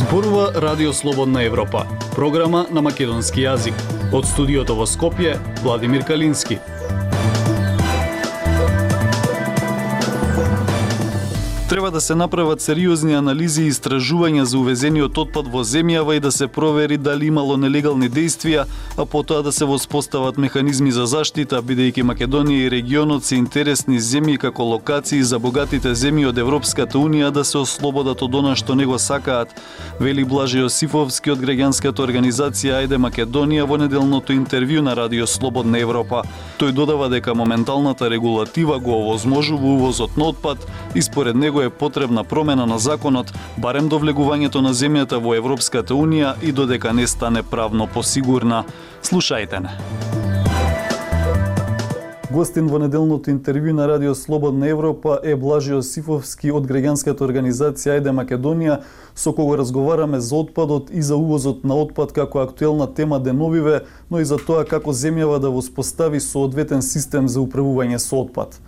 Зборува Радио Слободна Европа, програма на македонски јазик. Од студиото во Скопје, Владимир Калински. Треба да се направат сериозни анализи и истражувања за увезениот отпад во земјава и да се провери дали имало нелегални действија, а потоа да се воспостават механизми за заштита, бидејќи Македонија и регионот се интересни земји како локации за богатите земји од Европската Унија да се ослободат од она што не го сакаат, вели Блаже Јосифовски од граѓанската организација Ајде Македонија во неделното интервју на Радио Слободна Европа. Тој додава дека моменталната регулатива го овозможува увозот на отпад и според него е потребна промена на законот, барем до влегувањето на земјата во Европската Унија и додека не стане правно посигурна. Слушајте не. Гостин во неделното интервју на Радио Слободна Европа е Блаже Јосифовски од граѓанската организација Ајде Македонија, со кого разговараме за отпадот и за увозот на отпад како актуелна тема деновиве, но и за тоа како земјава да воспостави соодветен систем за управување со отпад.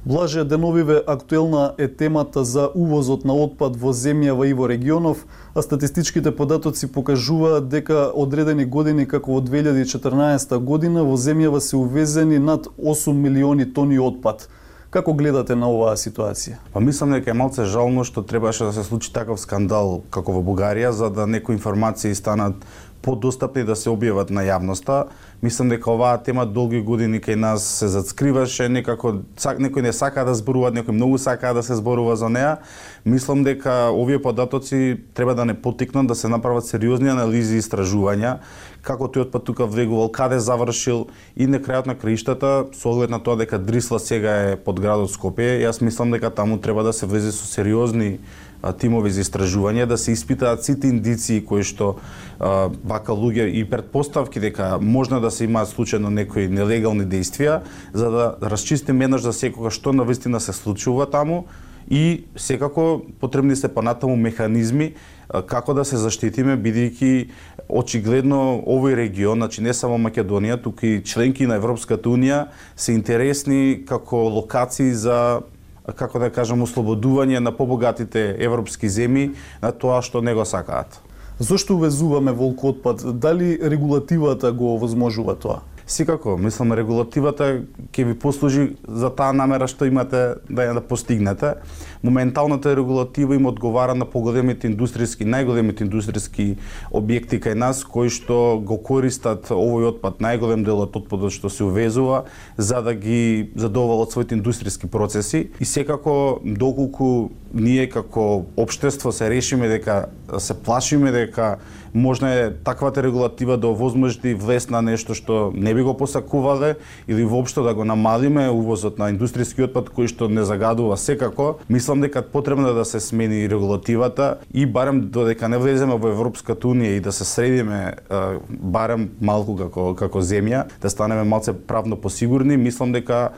Блаже, деновиве актуелна е темата за увозот на отпад во земјава и во регионов, а статистичките податоци покажуваат дека одредени години како во 2014 година во земјава се увезени над 8 милиони тони отпад. Како гледате на оваа ситуација? Па мислам дека е малце жално што требаше да се случи таков скандал како во Бугарија, за да некои информации станат подостапни да се објават на јавноста. Мислам дека оваа тема долги години кај нас се зацкриваше, некако некои не сакаа да зборуваат, некои многу сакаа да се зборува за неа. Мислам дека овие податоци треба да не поттикнат да се направат сериозни анализи и истражувања како тој отпад тука влегувал, каде завршил и на крајот на краиштата, со оглед на тоа дека Дрисла сега е под градот Скопје, јас мислам дека таму треба да се влезе со сериозни тимови за истражување, да се испитаат сите индиции кои што вака луѓе и претпоставки дека можно да се имаат случајно некои нелегални действија, за да расчистиме еднаш за секогаш што навистина се случува таму и секако потребни се понатаму механизми како да се заштитиме, бидејќи очигледно овој регион, значи не само Македонија, туку и членки на Европската Унија се интересни како локации за, како да кажам, ослободување на побогатите европски земји на тоа што не го сакаат. Зошто увезуваме волку отпад? Дали регулативата го овозможува тоа? Секако, мислам регулативата ќе ви послужи за таа намера што имате да ја постигнете. Моменталната регулатива им одговара на поголемите индустријски, најголемите индустријски објекти кај нас кои што го користат овој отпад, најголем дел од отпадот што се увезува за да ги задоволат своите индустријски процеси и секако доколку ние како општество се решиме дека се плашиме дека можна е таквата регулатива да овозможи влез на нешто што не би го посакувале или воопшто да го намалиме увозот на индустријски отпад кој што не загадува секако, мислам дека потребно да се смени регулативата и барем додека не влеземе во Европската Унија и да се средиме барем малку како земја, да станеме малце правно посигурни, мислам дека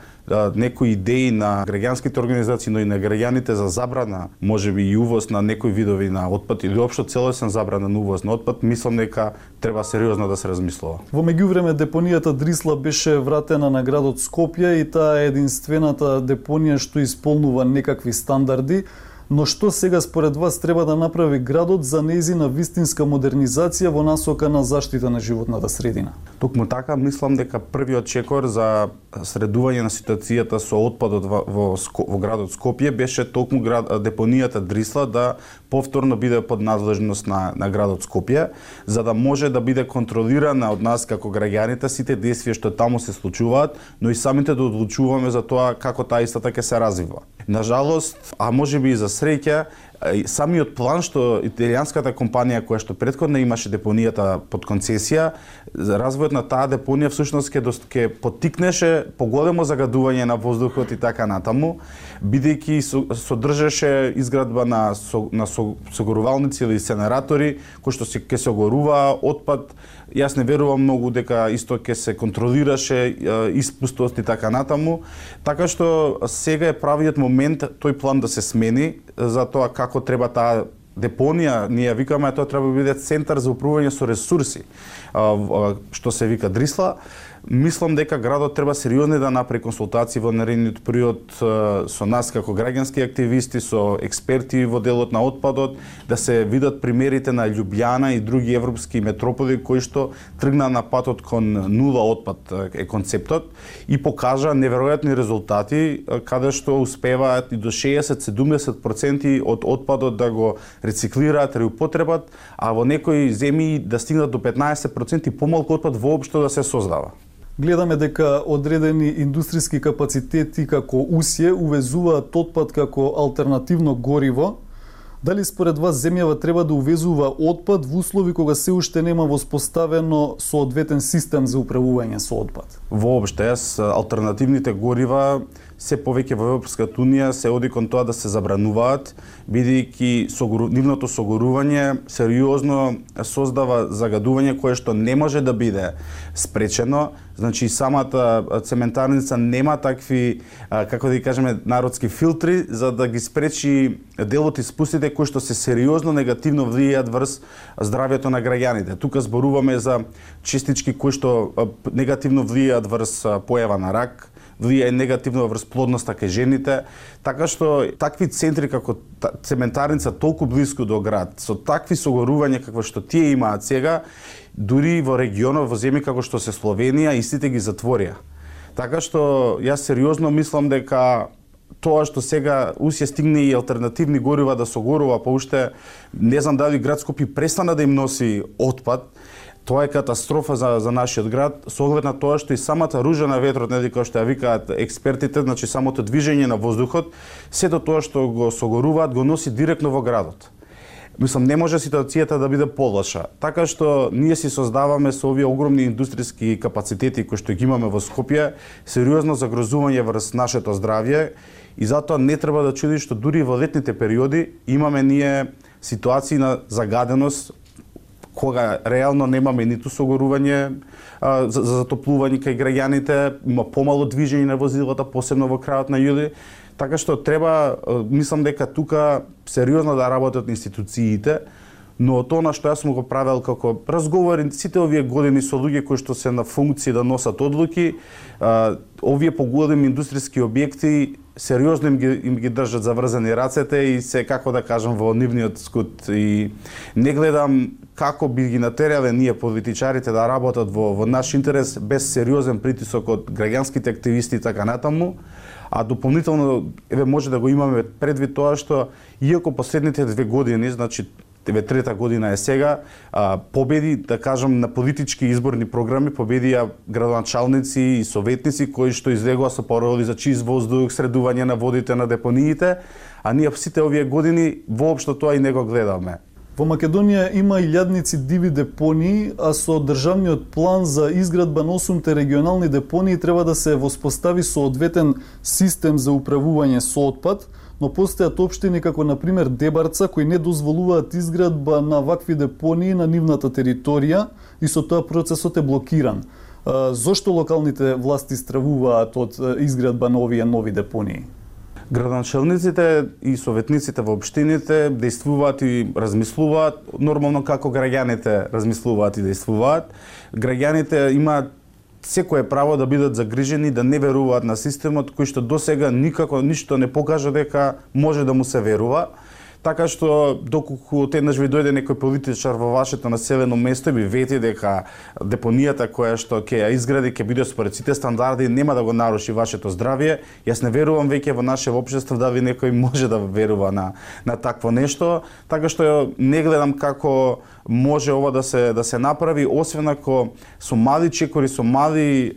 некои идеи на граѓанските организации, но и на граѓаните за забрана, можеби и увоз на некои видови на отпад или општо целосен забрана на увоз на отпад, мислам дека треба сериозно да се размислува. Во меѓувреме депонијата Дрисла беше вратена на градот Скопје и таа е единствената депонија што исполнува некакви стандарди. Но што сега според вас треба да направи градот за нејзина вистинска модернизација во насока на заштита на животната средина? Токму така, мислам дека првиот чекор за средување на ситуацијата со отпадот во градот Скопје беше токму депонијата Дрисла да повторно биде под надлежност на градот Скопје, за да може да биде контролирана од нас како граѓаните сите действија што таму се случуваат, но и самите да одлучуваме за тоа како таа истата ќе се развива. Нажалост, а можеби и за среќа, самиот план што италијанската компанија која што претходно имаше депонијата под концесија, развојот на таа депонија всушност ќе поттикнеше поголемо загадување на воздухот и така натаму, бидејќи содржеше изградба на согорувалници или сенератори кои што ќе се огоруваа отпад. Јас не верувам многу дека исто ќе се контролираше испустост и така натаму, така што сега е правиот момент тој план да се смени за тоа како треба таа депонија, ние викаме тоа треба да биде центар за управување со ресурси, што се вика Дрисла. Мислам дека градот треба сериозно да направи консултации во наредниот период со нас како граѓански активисти, со експерти во делот на отпадот, да се видат примерите на Љубљана и други европски метрополи кои што тргна на патот кон нула отпад е концептот и покажа неверојатни резултати каде што успеваат и до 60-70% од отпадот да го рециклираат, реупотребат, а во некои земји да стигнат до 15% и помалку отпад воопшто да се создава. Гледаме дека одредени индустријски капацитети како Усје увезуваат отпад како алтернативно гориво. Дали според вас земјава треба да увезува отпад во услови кога се уште нема воспоставено соодветен систем за управување со отпад? Воопште, алтернативните горива се повеќе во Европската унија се оди кон тоа да се забрануваат, бидејќи нивното согорување сериозно создава загадување кое што не може да биде спречено. Значи самата цементарница нема такви, како да ги кажеме, народски филтри за да ги спречи дел од испустите кои што се сериозно негативно влијаат врз здравјето на граѓаните. Тука зборуваме за честички кои што негативно влијаат врз појава на рак, влијае негативно врз плодноста кај жените, така што такви центри како цементарница толку блиску до град, со такви согорувања како што тие имаат сега, дури во регионот, во земји како што се Словенија, истите ги затворија. Така што јас сериозно мислам дека тоа што сега Усје стигне и алтернативни горива да согорува, па уште не знам дали град Скопје престана да им носи отпад, тоа е катастрофа за нашиот град, со оглед на тоа што и самата ружа на ветрот, нели како што ја викаат експертите, значи самото движење на воздухот, сето тоа што го согоруваат го носи директно во градот. Мислам, не може ситуацијата да биде полоша. Така што ние си создаваме со овие огромни индустријски капацитети кои што ги имаме во Скопје, сериозно загрозување врз нашето здравје и затоа не треба да чуди што дури во летните периоди имаме ние ситуации на загаденост кога реално немаме ниту согорување за затоплување кај граѓаните, има помало движење на возилата, посебно во крајот на јули. Така што треба, мислам дека тука сериозно да работат институциите, но тоа на што јас сум го правел како разговори сите овие години со луѓе кои што се на функција да носат одлуки, овие поголеми индустријски објекти сериозно им ги држат заврзани рацете и се, како да кажам, во нивниот скут. И не гледам како би ги натерале ние политичарите да работат во наш интерес без сериозен притисок од граѓанските активисти и така натаму. А дополнително може да го имаме предвид тоа што иако последните 2 години, значи трета година е сега, победи, да кажам, на политички изборни програми, победија градоначалници и советници кои што излегоа со пароли за чист воздух, средување на водите на депониите, а ние сите овие години воопшто тоа и не го гледаме. Во Македонија има илјадници диви депонии, а со државниот план за изградба на 8 регионални депонии треба да се воспостави соодветен систем за управување со отпад, но постојат општини како на пример Дебарца кои не дозволуваат изградба на вакви депонии на нивната територија и со тоа процесот е блокиран. Зошто локалните власти стравуваат од изградба на овие нови депонии? Градоначалниците и советниците во општините действуваат и размислуваат нормално како граѓаните размислуваат и действуваат. Граѓаните имаат секое право да бидат загрижени, да не веруваат на системот кој што досега никако ништо не покажа дека може да му се верува. Така што доколку еднаш ви дојде некој политичар во вашето населено место и ви вети дека депонијата која што ќе ја изгради ќе биде според сите стандарди, нема да го наруши вашето здравје, јас не верувам веќе во наше општество дали некој може да верува на такво нешто, така што не гледам како може ова да се направи, освен ако со мали чекори, со мали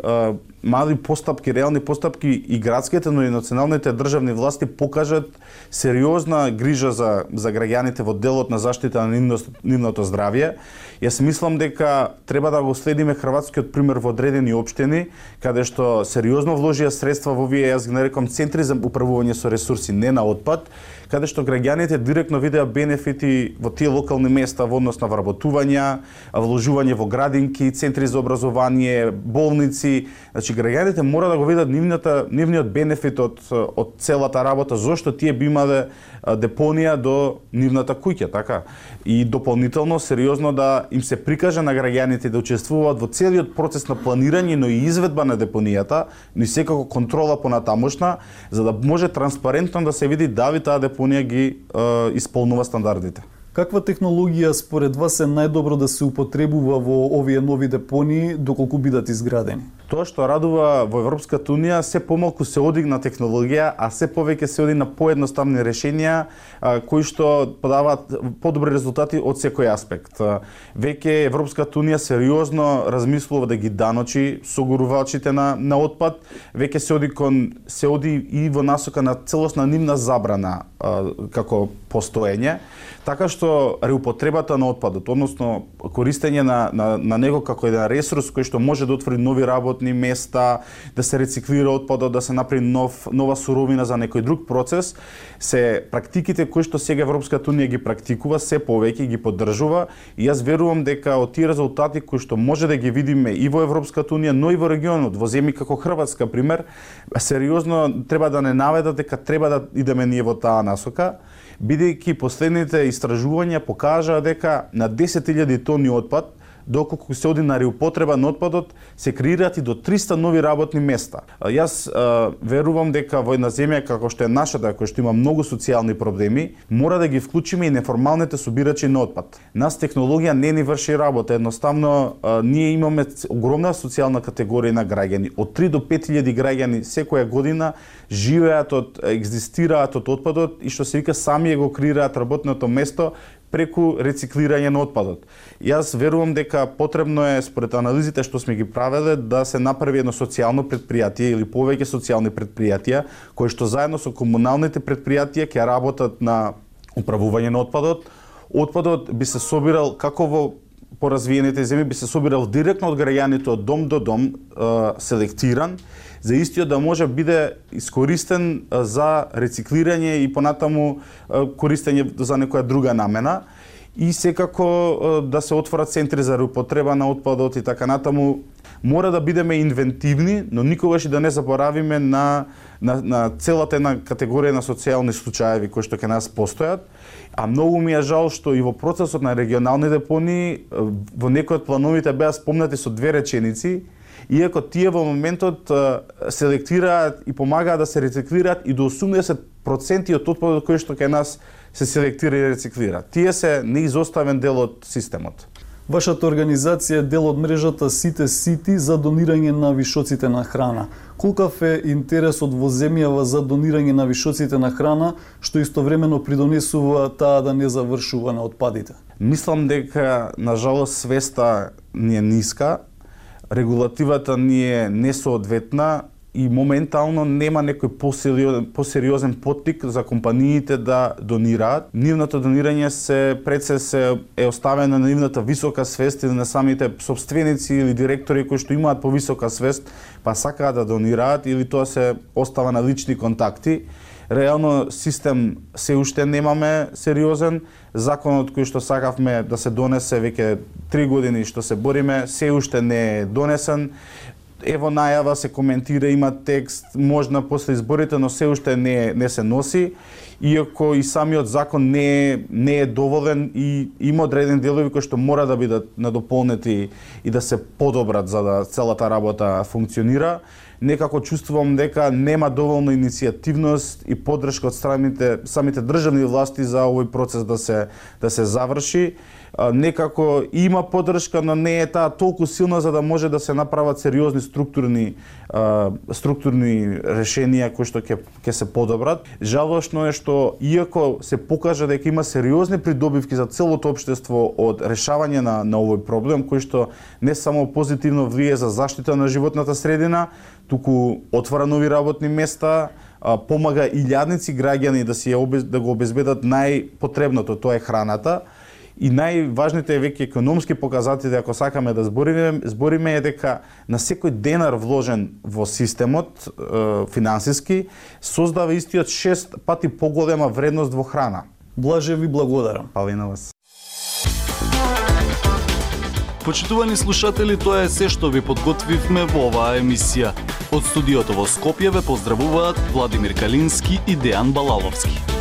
постапки, реални постапки и градските, но и националните државни власти покажат сериозна грижа за граѓаните во делот на заштита на нивното здравје. Јас мислам дека треба да го следиме хрватскиот пример во одредени општини, каде што сериозно вложија средства во овие, јас ги нарекам, центри за управување со ресурси, не на отпад, каде што граѓаните директно видеа бенефити во тие локални места во однос на вработување, вложување во градинки, центри за образование, болници, значи Значи граѓаните мора да го видат нивниот бенефит од целата работа, зошто тие би имале депонија до нивната куќа, така? И дополнително сериозно да им се прикаже на граѓаните да учествуваат во целиот процес на планирање, но и изведба на депонијата, но и секако контрола понатамошна, за да може транспарентно да се види дали таа депонија ги исполнува стандардите. Каква технологија според вас е најдобро да се употребува во овие нови депонии доколку бидат изградени? Тоа што радува во Европската унија, се помалку се оди на технологија, а се повеќе се оди на поедноставни решенија кои што подаваат подобри резултати од секој аспект. Веќе Европската унија сериозно размислува да ги даночи согорувачите на отпад, веќе се оди и во насока на целосна нивна забрана како постоење, така што реупотребата на отпадот, односно користење на него како еден ресурс кој што може да отвори нови работни места, да се рециклира отпадот, да се направи нова суровина за некој друг процес, се практиките кои што сега Европската унија ги практикува, се повеќе ги поддржува и јас верувам дека од тие резултати кои што може да ги видиме и во Европската унија, но и во регионот, во земји како Хрватска пример, сериозно треба да не наведат дека треба да идеме ние во таа насока, бидејќи последните истражувања покажаа дека на 10.000 тони отпад, доколку се оди на реупотреба на отпадот, се креираат и до 300 нови работни места. Јас верувам дека во една земја како што е нашата, која што има многу социјални проблеми, мора да ги вклучиме и неформалните собирачи на отпад. Нас технологија не ни врши работа, едноставно ние имаме огромна социјална категорија на граѓани. Од 3 до 5.000 граѓани секоја година живеат екзистираат од отпадот и што се вика сами го креираат работното место преку рециклирање на отпадот. Јас верувам дека потребно е, според анализите што сме ги правеле, да се направи едно социјално предпријатие или повеќе социјални предпријатија, кои што заедно со комуналните предпријатија ќе работат на управување на отпадот. Отпадот би се собирал како во поразвиените земји, би се собирал директно од граѓаните од дом до дом, селектиран, за истиот да може биде искористен за рециклирање и понатаму користење за некоја друга намена и секако да се отворат центри за реупотреба на отпадот и така натаму. Мора да бидеме инвентивни, но никогаш и да не заборавиме на целата една категорија на социјални случаеви кои што кај нас постојат. А многу ми е жал што и во процесот на регионални депонии во некои од плановите беа спомнати со 2 реченици, иако тие во моментот селектираат и помагаат да се рециклираат и до 80% од отпадот кој што кај нас се селектира и рециклира. Тие се неизоставен дел од системот. Вашата организација е дел од мрежата Сите Сити за донирање на вишоците на храна. Колкав е интересот во земјава за донирање на вишоците на храна, што истовремено придонесува таа да не завршува на отпадите? Мислам дека, на жалост, свеста ни е ниска, регулативата ни е несоодветна и моментално нема некој посериозен поттик за компаниите да донираат. Нивното донирање се е оставено на нивната висока свест или на самите собственици или директори кои што имаат повисока свест, па сакаат да донираат или тоа се остава на лични контакти. Реално систем се уште немаме сериозен. Законот кој што сакавме да се донесе веќе 3 години што се бориме, се уште не е донесен. Ево најава, се коментира, има текст, можна после изборите, но се уште не се носи. Иако и самиот закон не е доволен и има одредени делови кои што мора да бидат надополнети и да се подобрат за да целата работа функционира. Некако чувствувам дека нема доволно иницијативност и поддршка од самите државни власти за овој процес да се заврши. Некако има поддршка, но не е таа толку силна за да може да се направат сериозни структурни решенија кои што ќе се подобрат. Жалошно е што иако се покажа дека има сериозни придобивки за целото општество од решавање на овој проблем, кој што не само позитивно влие за заштита на животната средина, туку отвара нови работни места, помага илјадници граѓани да го обезбедат најпотребното, тоа е храната. И најважните веќе економски показатели, ако сакаме да збориме, е дека на секој денар вложен во системот финансиски, создава истиот 6 пати поголема вредност во храна. Блаже ви благодарам. Фала и на вас. Почитувани слушатели, тоа е се што ви подготвивме во оваа емисија. Од студиото во Скопје ве поздравуваат Владимир Калински и Дејан Балаловски.